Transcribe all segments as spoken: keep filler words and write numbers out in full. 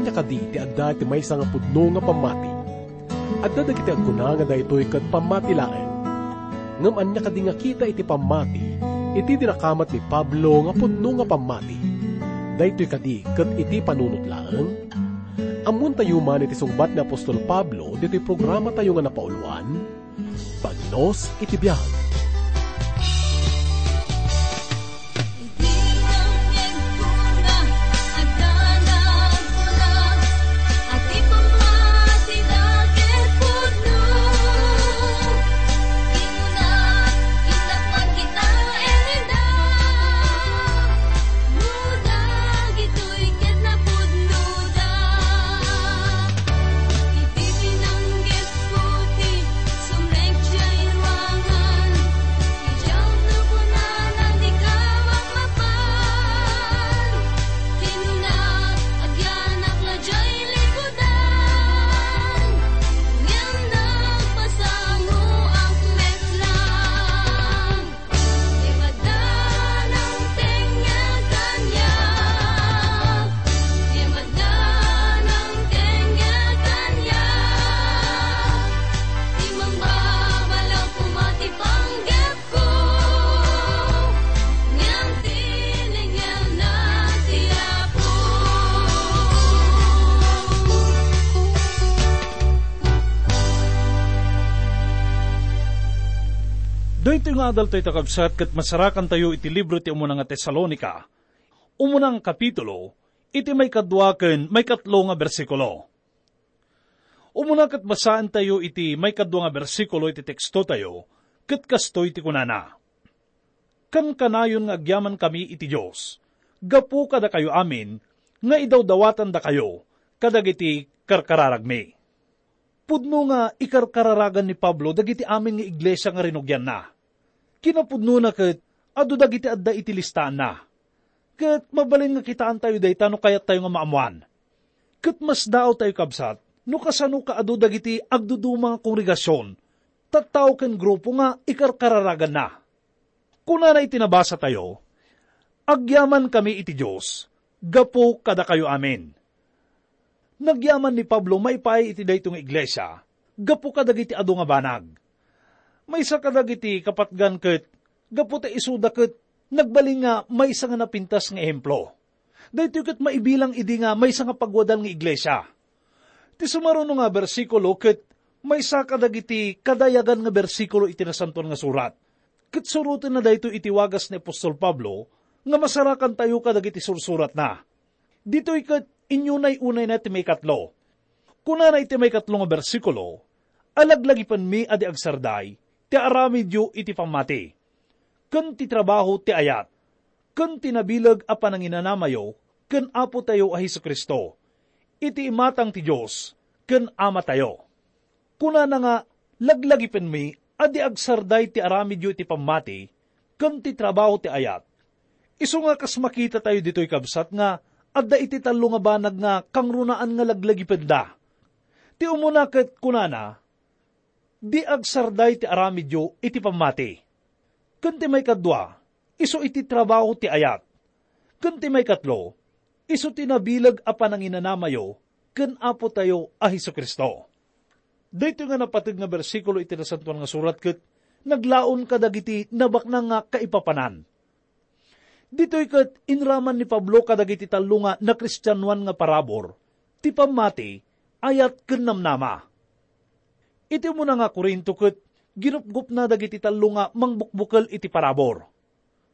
Ania kadi ti adda iti maysa nga pudno nga pammati? Adda dagiti agkuna nga daytoy ket pammati laeng. Ngem ania kadi nga kita iti pammati iti dinakamat ni Pablo nga pudno nga pammati? Daytoy kadi ket iti panunot laeng? Ammoentayo man iti sungbat ni apostol Pablo ditoy programatayo nga napauloan, Bagnos iti Biag. Iti pinanggepko ti sumrekdiay ruangan, ti Diablo kunana, dika mamapan. Kinuna, agyanak la diay likudan, ngem nagpasangoak met lang. Ti madanang tengngel kaniak, ti madanang tengngel kaniak, ti mambabalaw koma ti panggepko, ngem tinengngelna ti Apo. Daytoy nga adaltayo, kakabsat, ket masarakantayo iti libro ti umuna nga Tesalonica, umuna nga kapitulo, iti maikadua ken maikatlo nga bersikulo. Umuna ket basaentayo iti maikadua nga bersikulo iti tekstotayo, ket kastoy ti kunana, "Kankanayon nga agyamankami iti Dios gapu kadakayo amin nga idawdawatandakayo kadagiti karkararagmi." Pudno nga ikarkararagan ni Pablo dagiti amin nga iglesia nga rinugianna. Kinapudnona ket adu dagiti adda iti listaanna. Ket mabalin nga kitaantayo dayta no kayattayo nga maammoan. Ket masdaawtayo, kabsat, no kasano kaadu dagiti agduduma nga kongregasion, tattao ken grupo nga ikarkararaganna. Kunana iti nabasatayo, "Agyamankami iti Dios gapu kadakayo amin." Nagyaman ni Pablo maipaay iti daytoy nga iglesia gapu kadagiti adu nga banag. Maysa kadagiti kapatgan ket gapu ta isuda ket nagbalin nga maysa nga napintas nga ehemplo. Daytoy ket maibilang idi nga maysa nga pagwadal nga iglesia. Ti sumaruno nga bersikulo ket maysa kadagiti kadayagan nga bersikulo iti Nasantoan nga Surat. Ket surotenna daytoy iti wagas ni apostol Pablo nga masarakantayo kadagiti sursuratna. Ditoy ket inyunay-unayna ti maikatlo. Kunana iti maikatlo nga bersikulo, "Alaglagipenmi a di agsarday ti aramidyo iti pammati, ken ti trabaho ti ayat, ken ti nabileg a pananginanamayo ken Apotayo a Jesu-Cristo, iti imatang ti Dios ken Amatayo." Kunana nga, "Laglagipenmi a di agsarday ti aramidyo iti pammati ken ti trabaho ti ayat." Isu nga kas makitatayo ditoy, kabsat, nga adda iti tallo nga banag nga kangrunaan nga laglagipenda. Ti umuna ket kunana, "Di agsarday ti aramidyo iti pammati." Ken ti maikadua, isu iti trabaho ti ayat. Ken ti maikatlo, isu ti nabileg a pananginanamayo ken Apotayo a Jesu-Cristo. Daytoy nga napateg nga bersikulo iti Nasantoan nga Surat ket naglaon kadagiti nabaknang nga kaipapanan. Ditoy ket inraman ni Pablo kadagiti tallo nga nakristianoan nga parabur, ti pammati, ayat ken namnama. Iti umuna nga Corinto ket ginupgopna dagiti tallo nga mangbukbukel iti parabur.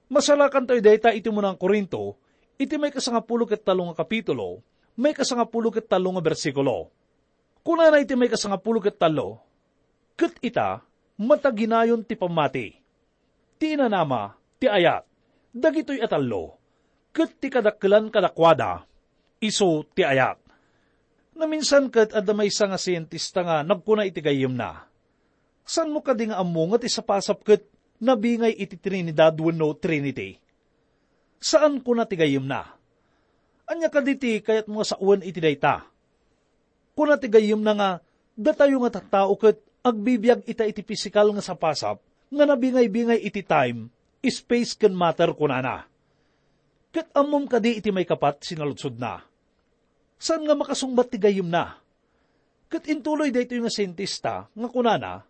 Masarakantayo dayta iti umuna nga Corinto, iti maikasangapulo ket tallo nga kapitulo, maikasangapulo ket tallo nga bersikulo. Kunana iti maikasangapulo ket tallo, "Ket ita, mataginayon ti pammati, ti inanama, ti ayat, dagitoy a tallo, ket ti kadakkelan kadakuada, isu ti ayat." Naminsan ket adda maysa nga sientista nga nagkuna iti gayyemna, "Saanmo kadi nga ammo nga ti sapasap ket nabingay iti Trinidad wenno Trinity?" "Saan," kuna ti gayyemna. "Ania kadi ti kayatmo nga sawen iti dayta?" Kuna ti gayyemna nga, "Datayo nga tattao ket agbibiag ita iti pisikal nga sapasap nga nabingay-bingay iti time, space, ken matter," kunana. "Ket ammom kadi iti maikapat?" sinaludsodna. Saan nga makasungbat ti gayyemna. Ket intuloy daytoy nga sientista nga kunana,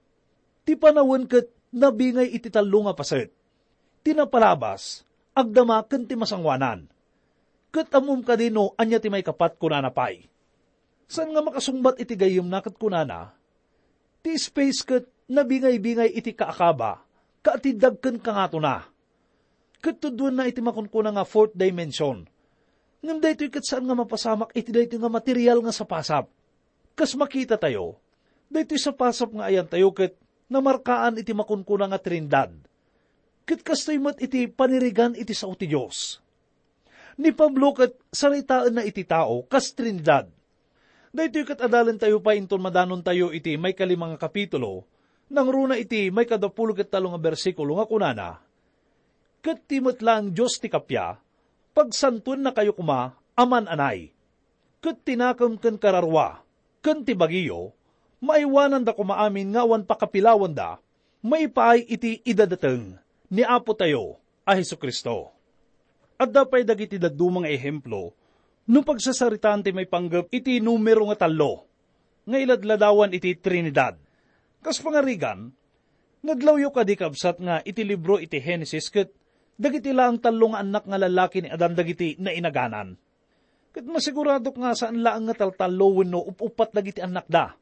ti panawen ket nabingay iti tallo nga paset. Ti napalabas, agdama ken ti masangoanan. Ket ammom kadi no ania ti maikapat, kunana pay. Saan nga makasungbat iti gayyemna ket kunana, ti space ket nabingay-bingay iti kaakaba, kaatiddag ken kangatona. Ket tuddoenna iti makunkuna nga fourth dimension. Ngem daytoy ket saan nga mapasamak iti daytoy nga material nga sapasap. Kas makitatayo, daytoy sapasap nga ayantayo ket namarkaan iti makunkuna nga Trinidad. Ket kastoy met iti panirigan iti sao ti Dios. Ni Pablo ket saritaenna iti tao kas Trinidad. Daytoy ket adalentayo pay inton madanontayo iti maikalima nga kapitulo, nangruna iti maikadapulo ket tallo nga bersikulo nga kunana, "Ket ti met laeng Dios ti kappia, pagsantuennakayo koma a man-anay. Ket ti nakem ken kararua, ken ti bagiyo, maaywananda koma amin nga awan pakapilawanda, maipaay iti idadateng ni Apotayo a Jesu-Cristo." Adda pay dagiti dadduma nga ehemplo no pagsasaritaan ti maipanggep iti numero nga tallo nga iladladawan iti Trinidad. Kas pangarigan, nadlawyo kadi, kabsat, nga iti libro iti Genesis ket dagiti laeng tallo nga annak nga lallaki ni Adan dagiti nainaganan? Ket masiguradok nga saan laeng nga taltallo wenno up-uppat dagiti annakda.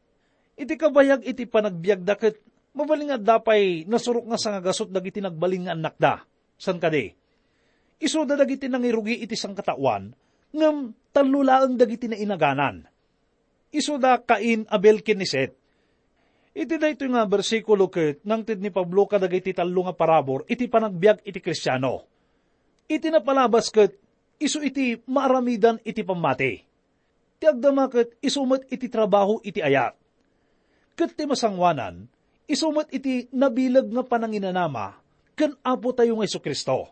Iti kabayag iti panagbiagda ket mabalin nga adda pay nasurok nga sangagasut dagiti nagbalin nga annakda. Saan kadi? Isuda dagiti nangirugi iti sangkataoan, ngem tallo laeng dagiti nainaganan. Isuda Cain, Abel, ken ni Set. Iti daytoy nga bersikulo ket nangted ni Pablo kadagiti tallo nga parabur iti panagbiag iti Kristiano. Iti napalabas ket isu iti maaramidan iti pammati. Ti agdama ket isu met iti trabaho iti ayat. Ket ti masangoanan, isu met iti nabileg nga pananginanama ken Apotayo nga Jesu-Cristo.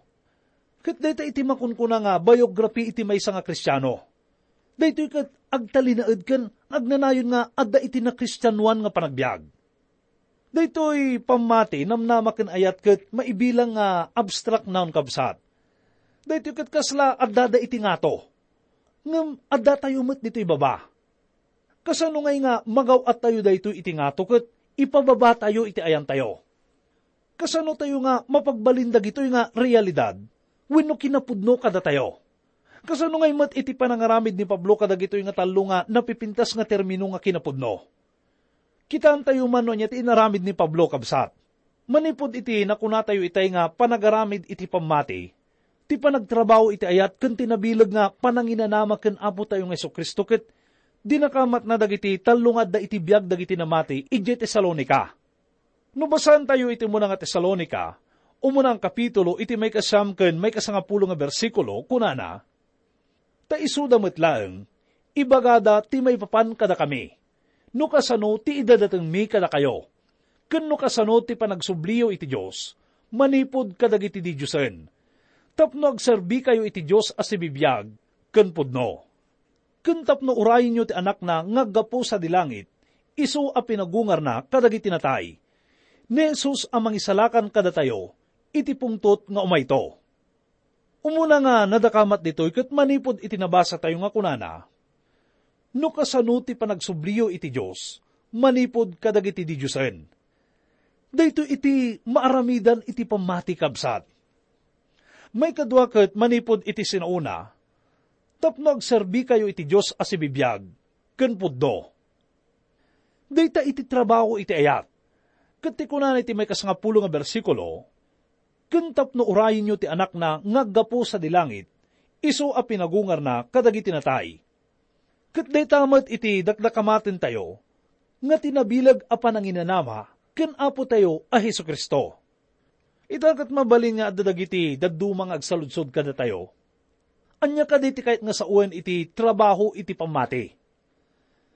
Ket dayta iti makunkuna nga biography iti maysa nga Kristiano. Daytoy ket agtalinaed ken agnanayon nga adda iti nakristianoan nga panagbiag. Daytoy pammati, namnama ken ayat ket maibilang nga abstract noun, kabsat. Daytoy ket kasla addada iti ngato. Ngem addatayo met ditoy baba. Kasano ngay nga magaw-attayo daytoy iti ngato ket ipababatayo iti ayantayo? Kasano tayo nga mapagbalin dagitoy nga realidad wenno kinapudno kadatayo? Kasano ngay met iti panangaramid ni Pablo kadagitoy nga tallo nga napipintas nga termino nga kinapudno? Kitaentayo man no ania ti inaramid ni Pablo, kabsat. Manipud iti nakunatayo itay nga panagaramid iti pammati, ti panagtrabaho iti ayat ken ti nabileg nga pananginanama ken Apotayo nga Jesu-Cristo ket dinakamatna dagiti tallo nga adda iti biag dagiti namati idiay Tesalonica. No basaentayo iti umuna nga Tesalonica, umuna nga kapitulo iti maikasiam ken maikasangapulo nga bersikulo, kunana, "Ta isuda met laeng, ibagada ti maipapan kadakami, no kasano ti idadatengmi kadakayo, ken no kasano ti panagsubliyo iti Dios manipud kadagiti didiosen, tapno agserbikayo iti Dios a sibibiag ken pudno." Ken tapno urayenyo ti Anakna nga aggapu sadi langit, isu a pinagungarna kadagiti natay, ni Jesus a mangisalakan kadatayo iti pungtot nga umayto. Umuna nga nadakamat ditoy ket manipud iti nabasatayo nga kunana, "No kasano ti panagsubliyo iti Dios manipud kadagiti didiosen." Daytoy iti maaramidan iti pammati, kabsat. Maikadua ket manipud iti sinaona, tapno agserbikayo iti Dios a sibibiag ken pudno. Dayta iti trabaho iti ayat. Ket ti kunana iti maikasangapulo nga bersikulo, "Ken tapno urayenyo ti Anakna nga aggapu sadi langit, isu a pinagungarna kadagiti natay." Ket dayta met iti dakdakamatentayo nga ti nabileg a pananginanama ken Apotayo a Jesu-Cristo. Ita ket mabalin nga adda dagiti dadduma nga agsaludsod kadatayo. Ania kadi ti kayat nga sawen iti trabaho iti pammati?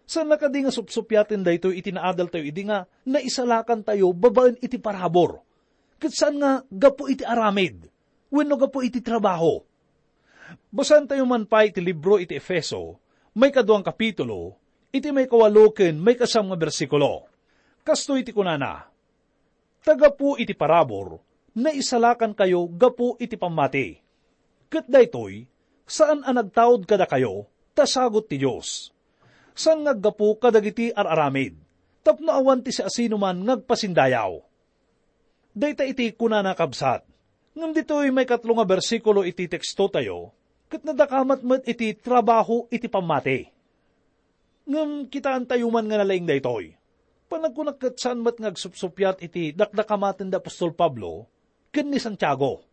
Saanna kadi nga supsupiaten daytoy iti naadaltayo idi nga naisalakantayo babaen iti parabur, ket saan nga gapu iti aramid wenno gapu iti trabaho? Basaentayo man pay iti libro iti Efeso, maikadua nga kapitulo, iti maikawalo ken maikasiam nga bersikulo. Kastoy ti kunana, "Ta gapu iti parabur, naisalakankayo gapu iti pammati. Ket daytoy, saan a nagtaud kadakayo, ta sagut ti Dios. Saan nga aggapu kadagiti ar-aramid, tapno awan ti siasinoman nga agpasindayaw. Dayta iti kunana, kabsat. Ngem ditoy maikatlo nga bersikulo iti tekstotayo, ket nadakamat met iti trabaho iti pammati. Ngem kitaentayo man nga nalaing daytoy. Panagkunak ket saan met nga agsupsuppiat iti dakdakamaten da apostol Pablo ken ni Santiago.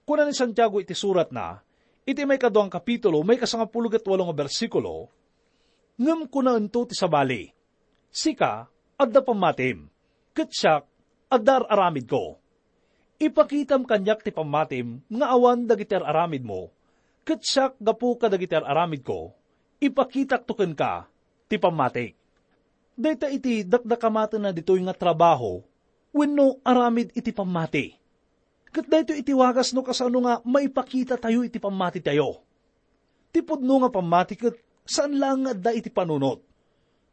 Kuna ni Santiago iti suratna, iti maikaduang kapitulo, maikasangapulo ket walo nga bersikulo, "Ngem kunaento ti sabali, 'Sika, adda pammatim, ket siak, adda ar-aramidko.' Ipakitam kaniak ti pammatim nga awan dagiti ar-aramidmo, ket siak, gapu kadagiti ar-aramidko, ipakitakto kenka ti pammatik." Dayta iti dakdakamatenna ditoy nga trabaho wenno aramid iti pammati. Ket daytoy iti wagas no kasano nga maipakitatayo iti pammatitayo. Ti pudno nga pammati ket saan laeng nga adda iti panunot,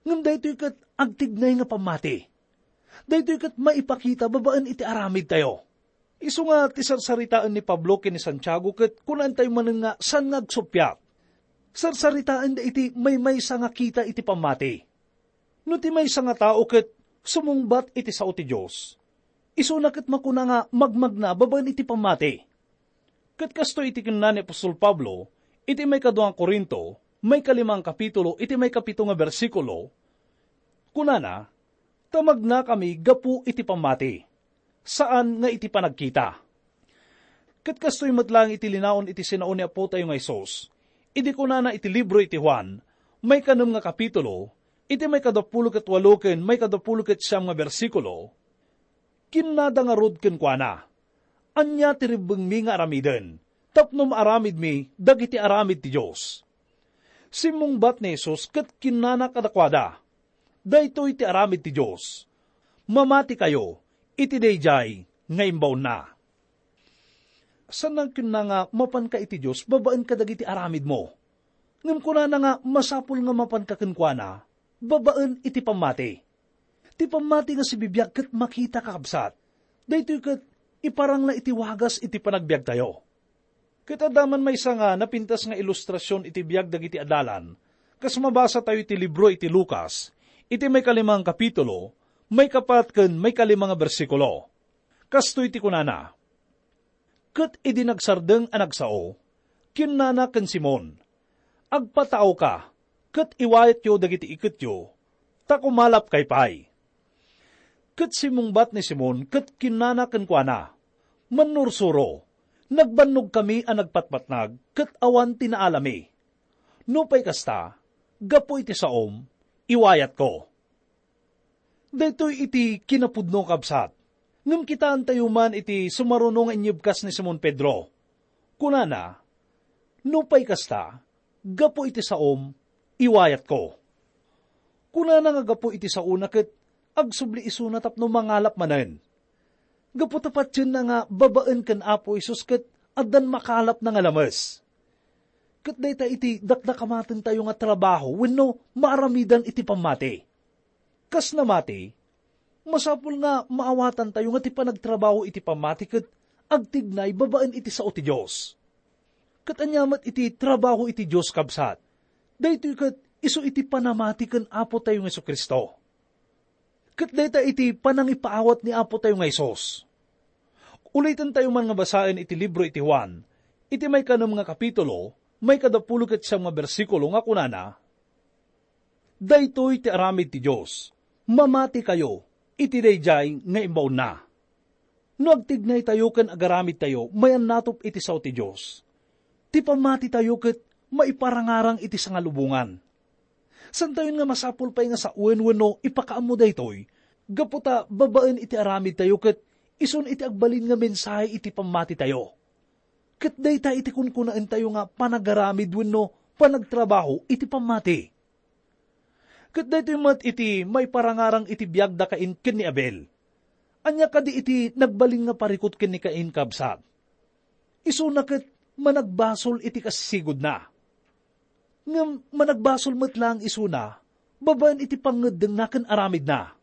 ngem daytoy ket agtignay nga pammati. Daytoy ket maipakita babaen iti aramidtayo. Isu nga ti sarsaritaen ni Pablo ken ni Santiago ket kunaentayo manen nga saan nga agsuppiat. Sarsaritaenda iti maymaysa nga kita iti pammati. No ti maysa nga tao ket sumungbat iti sao ti Dios, isuna ket makuna nga magmagna babaen iti pammati. Ket kastoy iti kinuna ni apostol Pablo iti maikadua nga Corinto, maikalima nga kapitulo, iti maikapito nga bersikulo, kunana, "Ta magnakami gapu iti pammati, saan nga iti panagkita." Ket kastoy met laeng iti linaon iti sinao ni Apotayo nga Jesus, idi kunana iti libro iti Juan, maikanem nga kapitulo, iti maikadapulo ket walo ken maikadapulo ket siam nga bersikulo, kinnada ngarud kenkuana, "Ania ti rebbengmi nga aramiden tapno maaramidmi dagiti aramid ti Dios?" Simmungbat ni Jesus ket kinnana kadakuada, "Daytoy ti aramid ti Dios: mamatikayo iti daydiay nga imbaonna." Saan nga kinuna nga mapanka iti Dios babaen kadagiti aramidmo. Ngem kunana nga masapul nga mapanka kenkuana babaen iti pammati. Ti pammati nga sibibiag ket makita, kakabsat. Daytoy ket iparangna iti wagas iti panagbiagtayo. Ket adda man maysa nga napintas nga ilustrasion iti biag dagiti adalan, kas mabasatayo iti libro iti Lucas, iti maikalima nga kapitulo, maikapat ken maikalima nga bersikulo. Kastoy ti kunana, Ket idi nagsardeng a nagsao, kinnana ken Simon, "Agpataawka ket iwayatyo dagiti iketyo, ta kumalapkay pay." Ket simmungbat ni Simon ket kinnana kenkuana, "Mannursuro, nagbannogkami a nagpatpatnag ket awan ti naalami. Nupay kasta, gapu iti saom, iwayatko." Daytoy iti kinapudno, kabsat. Ngem kitaentayo man iti sumaruno nga inyebkas ni Simon Pedro. Kunana, "Nupay kasta, gapu iti saom, iwayatko." Kunana nga gapu iti saona ket agsubli isuna tapno mangalap manen. Gapu ta patienna nga babaen ken Apo Jesus ket addan makalapna nga lames. Ket dayta iti dakdakamatentayo nga trabaho wenno maaramidan iti pammati. Kas namati, masapul nga maawatantayo nga ti panagtrabaho iti pammati ket agtignay babaen iti sao ti Dios. Ket ania met iti trabaho iti Dios, kabsat? Daytoy ket isu iti panamati ken Apotayo nga Jesu-Cristo. Ket dayta iti panangipaawat ni Apotayo nga Jesus. Ulitentayo man nga basaen iti libro iti Juan, iti maikanem nga kapitulo, maikadapulo ket siam nga bersikulo nga kunana, "Daytoy ti aramid ti Dios, mamatikayo iti daydiay nga imbaonna." No agtignaytayo ken agaramidtayo, mayannatop iti sao ti Dios. Ti pammatitayo ket maiparangarang iti sangalubongan. Santayon nga masapul pay nga sawen wenno ipakaammo daytoy, gapu ta babaen iti aramidtayo ket isun iti agbalin nga mensahe iti pammatitayo. Ket dayta iti kunkunaentayo nga panagaramid wenno panagtrabaho iti pammati. Ket daytoy met iti maiparangarang iti biag da Cain ken ni Abel. Ania kadi iti nagbalin nga parikut ken ni Cain, kabsat? Isuna ket managbasol iti kasisigudna. Ngem managbasol met laeng isuna babaen iti pangngeddengna ken aramidna.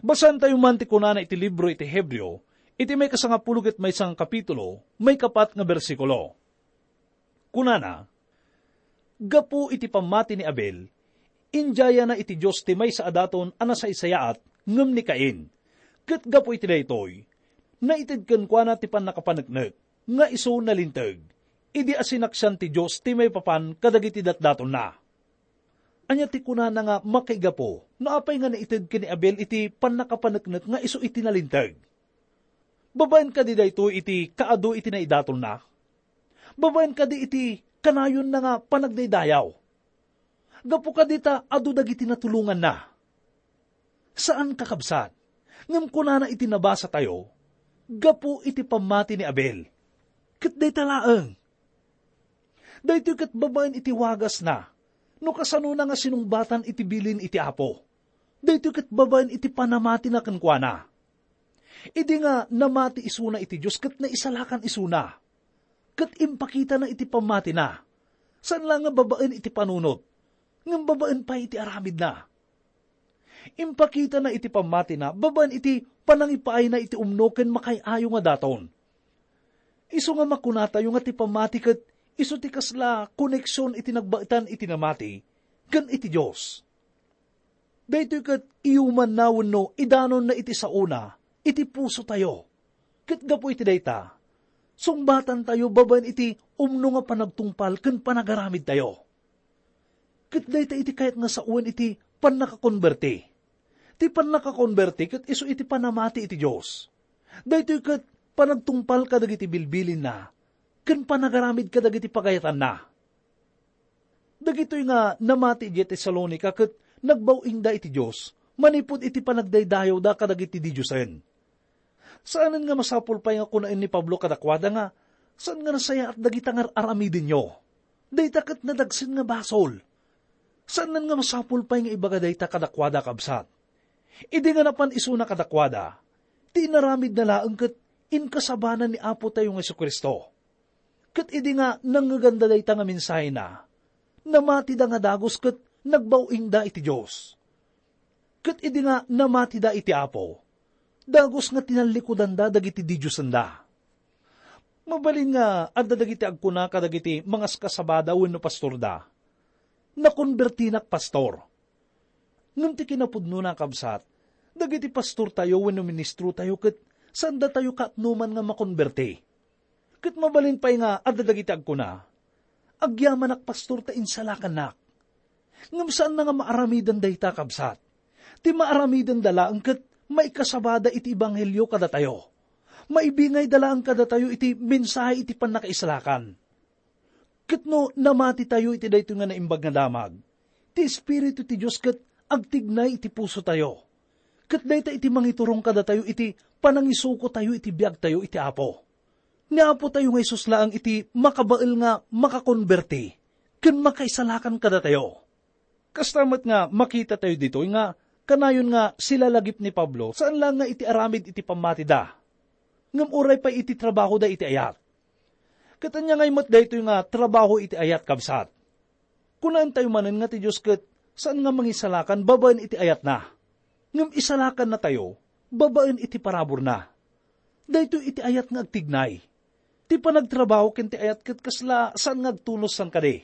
Basaentayo man ti kunana iti libro iti Hebreo, iti maikasangapulo ket maysa nga kapitulo, maikapat nga bersikulo. Kunana, Gapu iti pammati ni Abel, inyayana iti Dios ti maysa a daton a nasaysayaat ngem ni Cain. Ket gapu iti daytoy, naited kenkuana ti pannakapaneknek nga isu nalinteg, idi asinaksian ti Dios ti maipapan kadagiti datdatonna. Ania ti kunana nga makaigapu no apay nga naited ken ni Abel iti pannakapaneknek nga isu iti nalinteg? Babaen kadi daytoy iti kaadu iti naidatonna? Babaen kadi iti kanayonna nga panagdaydayaw? Gapu kadi ta adu dagiti natulonganna? Saan, kakabsat. Ngem kunana iti nabasatayo, gapu iti pammati ni Abel. Ket dayta laeng. Daytoy ket babaen iti wagasna, no kasanona nga sinungbatan iti bilin iti Apo. Daytoy ket babaen iti panamatina kenkuana. Idi nga namati isuna iti Dios ket naisalakan isuna, ket impakitana iti pammatina, saan la nga babaen iti panunot, ngem babaen pay iti aramidna. Impakitana iti pammatina babaen iti panangipaayna iti umno ken makaay-ayo nga daton. Isu nga makunatayo nga ti pammati ket isu ti kasla koneksion iti nagbaetan iti namati ken iti Dios. Daytoy ket iyumanna wenno idanonna iti saona iti pusotayo. Ket gapu iti dayta, sungbatantayo babaen iti umno nga panagtungpal ken panagaramidtayo. Ket dayta iti kayat nga sawen iti pannakakonberti. Ti pannakakonberti ket isu iti panamati iti Dios. Daytoy ket panagtungpal kadagiti bilbilinna ken panagaramid kadagiti pagayatanna. Dagitoy nga namati idiay Tesalonica ket nagbaw-ingda iti Dios manipud iti panagdaydayawda kadagiti didiosen. Saanen nga masapul pay nga kunaen ni Pablo kadakuada nga, "Saan nga nasayaat dagita nga ar-aramidenyo? Dayta ket nadagsen nga basol." Saanen nga masapul pay nga ibaga dayta kadakuada, kabsat. Idi nga napan isuna kadakuada, ti inaramidna laeng ket inkasabanan ni Apotayo nga Jesu-Cristo. Ket idi nga nangngeganda dayta nga mensahena, namatida nga dagus ket nagbaw-ingda iti Dios. Ket idi nga namatida iti Apo, dagus nga tinallikudanda dagiti didiosenda. Mabalin nga adda dagiti agkuna kadagiti mangaskasabada wenno pastorda, "Nakonbertinak, pastor." Ngem ti kinapudnona, kabsat, dagiti pastortayo wenno ministrotayo ket saandatayo kaatnoman nga makonberti. Ket mabalin pay nga adda dagiti agkuna, "Agyamanak, pastor, ta insalakannak." Ngem saanna nga maaramiden dayta, kabsat. Ti maaramidenda laeng ket maikasabada iti ebanghelio kadatayo. Maibingayda laeng kadatayo iti mensahe iti pannakaisalakan. Ket no namatitayo iti daytoy nga naimbag nga damag, ti Espiritu ti Dios ket agtignay iti pusotayo. Ket dayta iti mangiturong kadatayo iti panangisukotayo iti biagtayo iti Apo. Ni Apotayo nga Jesus laeng iti makabael nga makakonberti ken makaisalakan kadatayo. Kasta met nga makitatayo ditoy nga kanayon nga silalagip ni Pablo saan laeng nga iti aramid iti pammatida, ngem uray pay iti trabahoda iti ayat. Ket ania ngay met daytoy nga trabaho iti ayat, kabsat? Kunaentayo manen nga ti Dios ket saan nga mangisalakan babaen iti ayatna, ngem isalakannatayo babaen iti paraburna. Daytoy iti ayat nga agtignay. Ti panagtrabaho ken ti ayat ket kasla saan nga agtunos san kadi.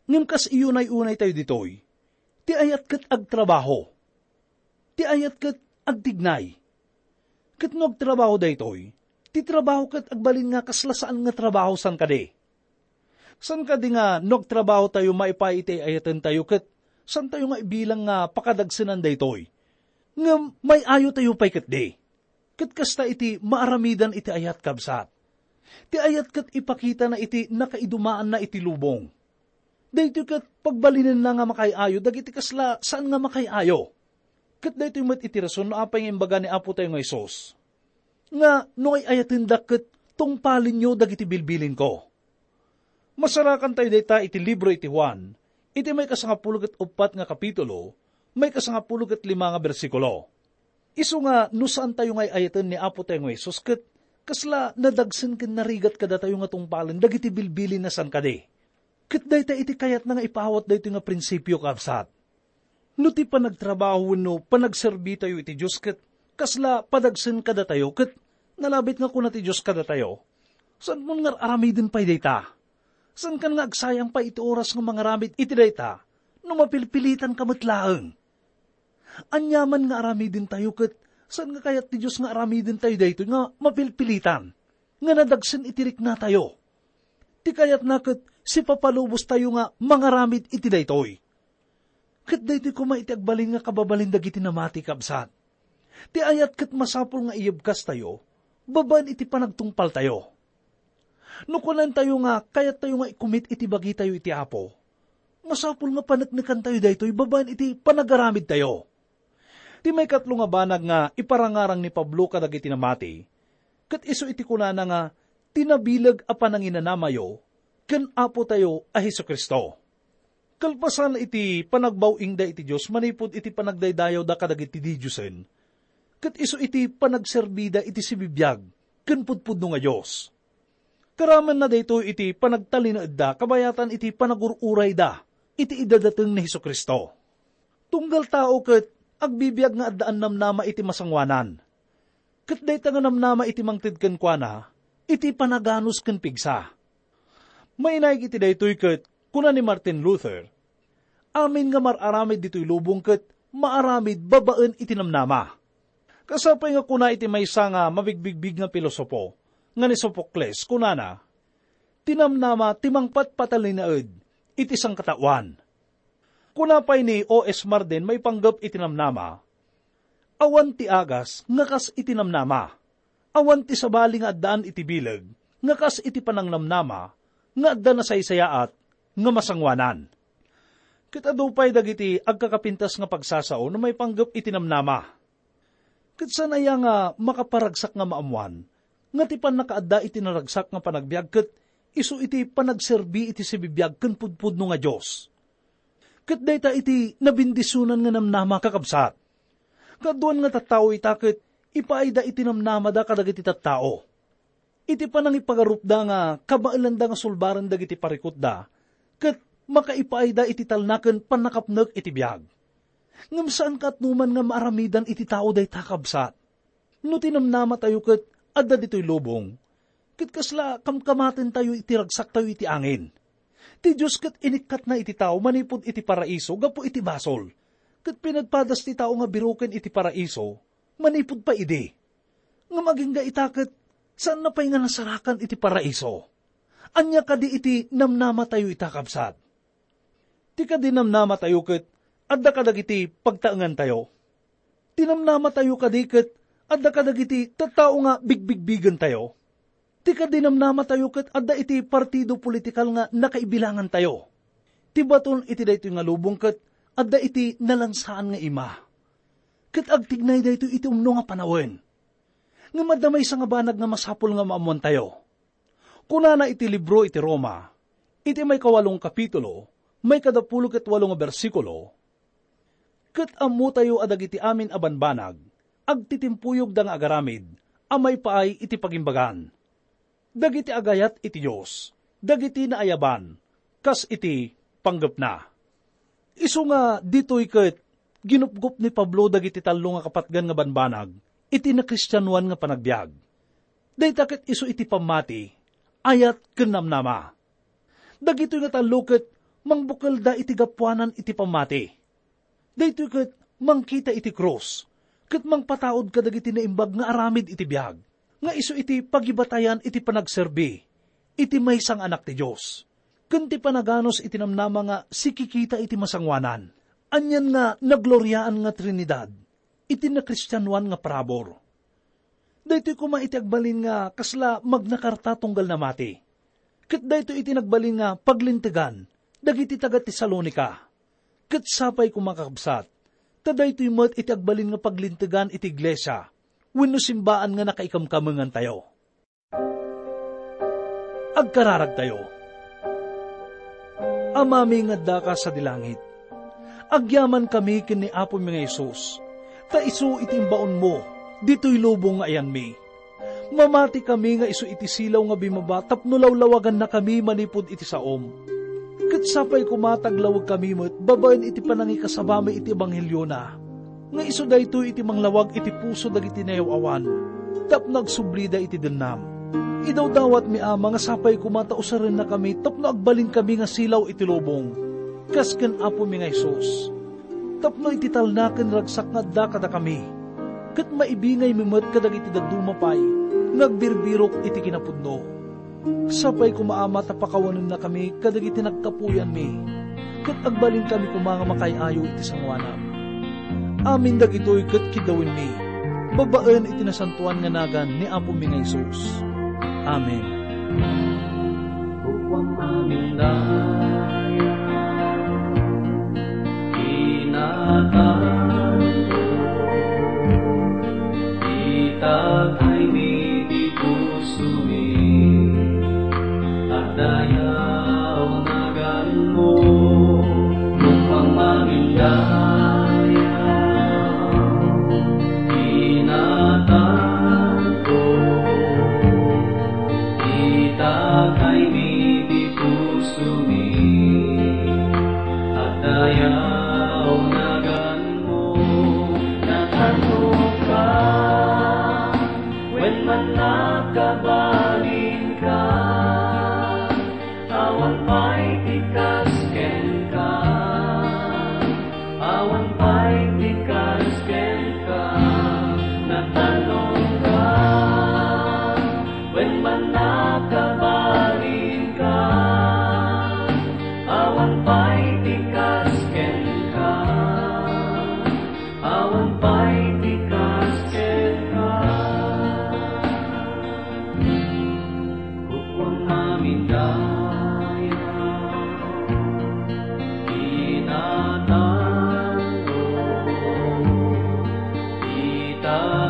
Ngem kas iyunay-unaytayo ditoy, ti ayat ket agtrabaho. Ti ayat ket agtignay. Ket no agtrabaho daytoy, ti trabaho ket agbalin nga kasla saan nga trabaho san kadi. San kadi nga no agtrabahotayo maipaay iti ay-ayatentayo ket saantayo nga ibilang nga pakadagsenan daytoy. Ngem may-ayotayo pay ketdi. Ket kasta iti maaramidan iti ayat, kabsat. Ti ayat ket ipakitana iti nakaidumaanna iti lubong. Daytoy ket pagbalinenna nga makaay-ayo dagiti kasla saan nga makaay-ayo. Ket daytoy met iti rason no apay nga imbaga ni Apotayo nga Jesus nga, "No ay-ayatendak ket tungpalenyo dagiti bilbilinko." Masarakantayo dayta iti libro iti Juan, iti maikasangapulo ket uppat nga kapitulo, maikasangapulo ket lima nga bersikulo. Isu nga no saantayo nga ay-ayaten ni Apotayo nga Jesus ket kasla nadagsen ken narigat kadatayo nga tungpalen dagiti bilbilinna san kadi. Ket dayta iti kayatna nga ipaawat daytoy nga prinsipio, kabsat. No ti panagtrabaho wenno panagserbitayo iti Dios ket kasla padagsen kadatayo ket nalabit nga kuna ti Dios kadatayo, "Saanmon nga ar-aramiden pay dayta? Saankan nga agsayang pay iti oras nga mangaramid iti dayta no mapilpilitanka met laeng. Aniaman nga aramidentayo ket saan nga kayat ti Dios nga aramidentayo daytoy nga mapilpilitan, nga nadagsen iti riknatayo. Ti kayatna ket sipapalubostayo nga mangaramid iti daytoy. Ket daytoy koma iti agbalin nga kababalin dagiti namati, kabsat. Ti ayat ket masapul nga iyebkastayo babaen iti panagtungpaltayo. No kunantayo nga kayattayo nga ikumit iti bagitayo iti Apo, masapul nga paneknekantayo daytoy babaen iti panagaramidtayo. Ti maikatlo nga banag nga iparangarang ni Pablo kadagiti namati, ket isu iti kunana nga tinabileg a pananginanamayo ken Apotayo a Jesu-Cristo. Kalpasan iti panagbaw-ingda iti Dios manipud iti panagdaydayawda kadagiti didiosen, ket isu iti panagserbida iti sibibiag ken pudpudno nga Dios. Karamenna daytoy iti panagtalinaedda kabayatan iti panagur-urayda iti idadateng ni Jesu-Cristo. Tunggal tao ket agbibiag nga addaan namnama iti masangoanan. Ket dayta nga namnama iti mangted kenkuana, iti panaganus ken pigsa. Mainaig iti daytoy ket kuna ni Martin Luther, "Amin nga mar-aramid ditoy lubong ket maaramid babaen iti namnama." Kasapay nga kuna iti maysa nga mabigbigbig nga pilosopo nga ni Sophocles, kunana, "Ti namnama ti mangpatpatalinaed iti sangkataoan." Kuna pay ni O S Marden maipanggep iti namnama, "Awan ti agas nga kas iti namnama. Awan ti sabali nga addaan iti bileg nga kas iti panangnamnama nga adda nasaysayaat nga masangoanan." Ket adu pay dagiti agkakapintas nga pagsasao no maipanggep iti namnama. Ket saan aya nga makaparagsak nga maammoan nga ti pannakaadda iti naragsak nga panagbiag ket isu iti panagserbi iti sibibiag ken pudpudno nga Dios? Ket dayta iti nabendisionan nga namnama, kakabsat. Kaaduan nga tattao ita ket ipaayda iti namnamada kadagiti tattao. Iti panangipagarupda nga kabaelanda nga sulbaren dagiti parikutda, ket makaipaayda iti talna ken pannakapnek iti biag. Ngem saan kaatnoman nga maaramidan iti tao dayta, kabsat. No ti namnamatayo ket adda ditoy lubong, ket kasla kamkamatentayo iti ragsaktayo iti angin. Ti Dios ket inikkatna iti tao manipud iti paraiso gapu iti basol, ket pinadpadas ti tao nga biroken iti paraiso manipud pay idi. Ngem agingga ita ket saanna pay nga nasarakan iti paraiso. Ania kadi iti namnamatayo ita, kabsat? Ti kadi namnamatayo ket adda kadagiti pagtaengantayo. Ti namnamatayo kadi ket adda kadagiti tattao nga bigbigbigentayo. Ti kadi namnamatayo ket adda iti partido politikal nga nakaibilangantayo. Ti baton iti daytoy nga lubong ket adda iti nalansaan nga ima. Ket agtignay daytoy iti umno nga panawen. Ngem adda maysa nga banag nga masapul nga maammoantayo. Kunana iti libro iti Roma, iti maikawalong kapitulo, maikadapulo ket walo nga bersikulo, "Ket ammotayo a dagiti amin a banbanag, agtitimpuyogda nga agaramid a maipaay iti pagimbagan. Dagiti agayat iti Dios, dagiti naayaban, kas iti panggepna." Isu nga ditoy ket ginupgop ni Pablo dagiti tallo nga kapatgan nga banbanag iti nakristianoan nga panagbiag. Dayta ket isu iti pammati, ayat ken namnama. Dagitoy nga tallo ket mangbukelda iti gapuanan iti pammati. Daytoy ket mangkita iti krus, ket mangpataud kadagiti naimbag nga aramid iti biag, nga isu iti pagibatayan iti panagserbi iti maysa nga Anak ti Dios, ken ti panaganus iti namnama nga sikikita iti masangoanan, anian nga nagloriaan nga Trinidad iti nakristianoan nga parabur. Daytoy koma iti agbalin nga kasla magnakarta tunggal namati. Ket daytoy iti nagbalin nga paglintegan dagiti taga-Tesalonica. Ket sapay koma, kakabsat, ta daytoy met iti agbalin nga paglintegan iti iglesia wenno simbaan nga nakaikamkamengantayo. Agkararagtayo. Amami nga addaka sadi langit, agyamankami ken ni Apomi nga Jesus, ta isu iti imbaonmo ditoy lubong nga ayanmi. Mamatikami nga isu iti silaw nga bimaba tapno lawlawagannakami manipud iti saom. Ket sapay koma ta aglawagkami met babaen iti panangikasabami iti ebanghelio na, nga isu daytoy iti manglawag iti puso dagiti nayaw-awan tapno agsublida iti dennam. Idawdawatmi, Ama, nga sapay koma ta usarennakami tapno agbalinkami nga silaw iti lubong, kas ken Apomi nga Jesus. Tapno iti talna ken ragsak nga adda kadakami, ket maibingaymi met kadagiti dadduma pay nga agbirbirok iti kinapudno. Sapay koma, Ama, ta pakawanennakami kadagiti nagkapuyanmi, ket agbalinkami koma nga makaay-ayo iti sangoanam. Amin dagitoy ket kiddawinmi, babaen iti nasantoan nga nagan ni Apomi nga Jesus. Amen. Kukuam amin dayag, inatanto, itataymi ti pusomi, agdayaw naganmo, kukuam amin dayag, inatanto, itataymi ti pusomi, agdayaw naganmo, natanongka, wen man nakabalinka, awan pay ti kas kenka. Awan pay ti kas kenka, natanongka, wen man nakabalinka. Awan pay ti kas kenka, awan pay ti kas kenka. Kukuam amin dayag, inatanto, ita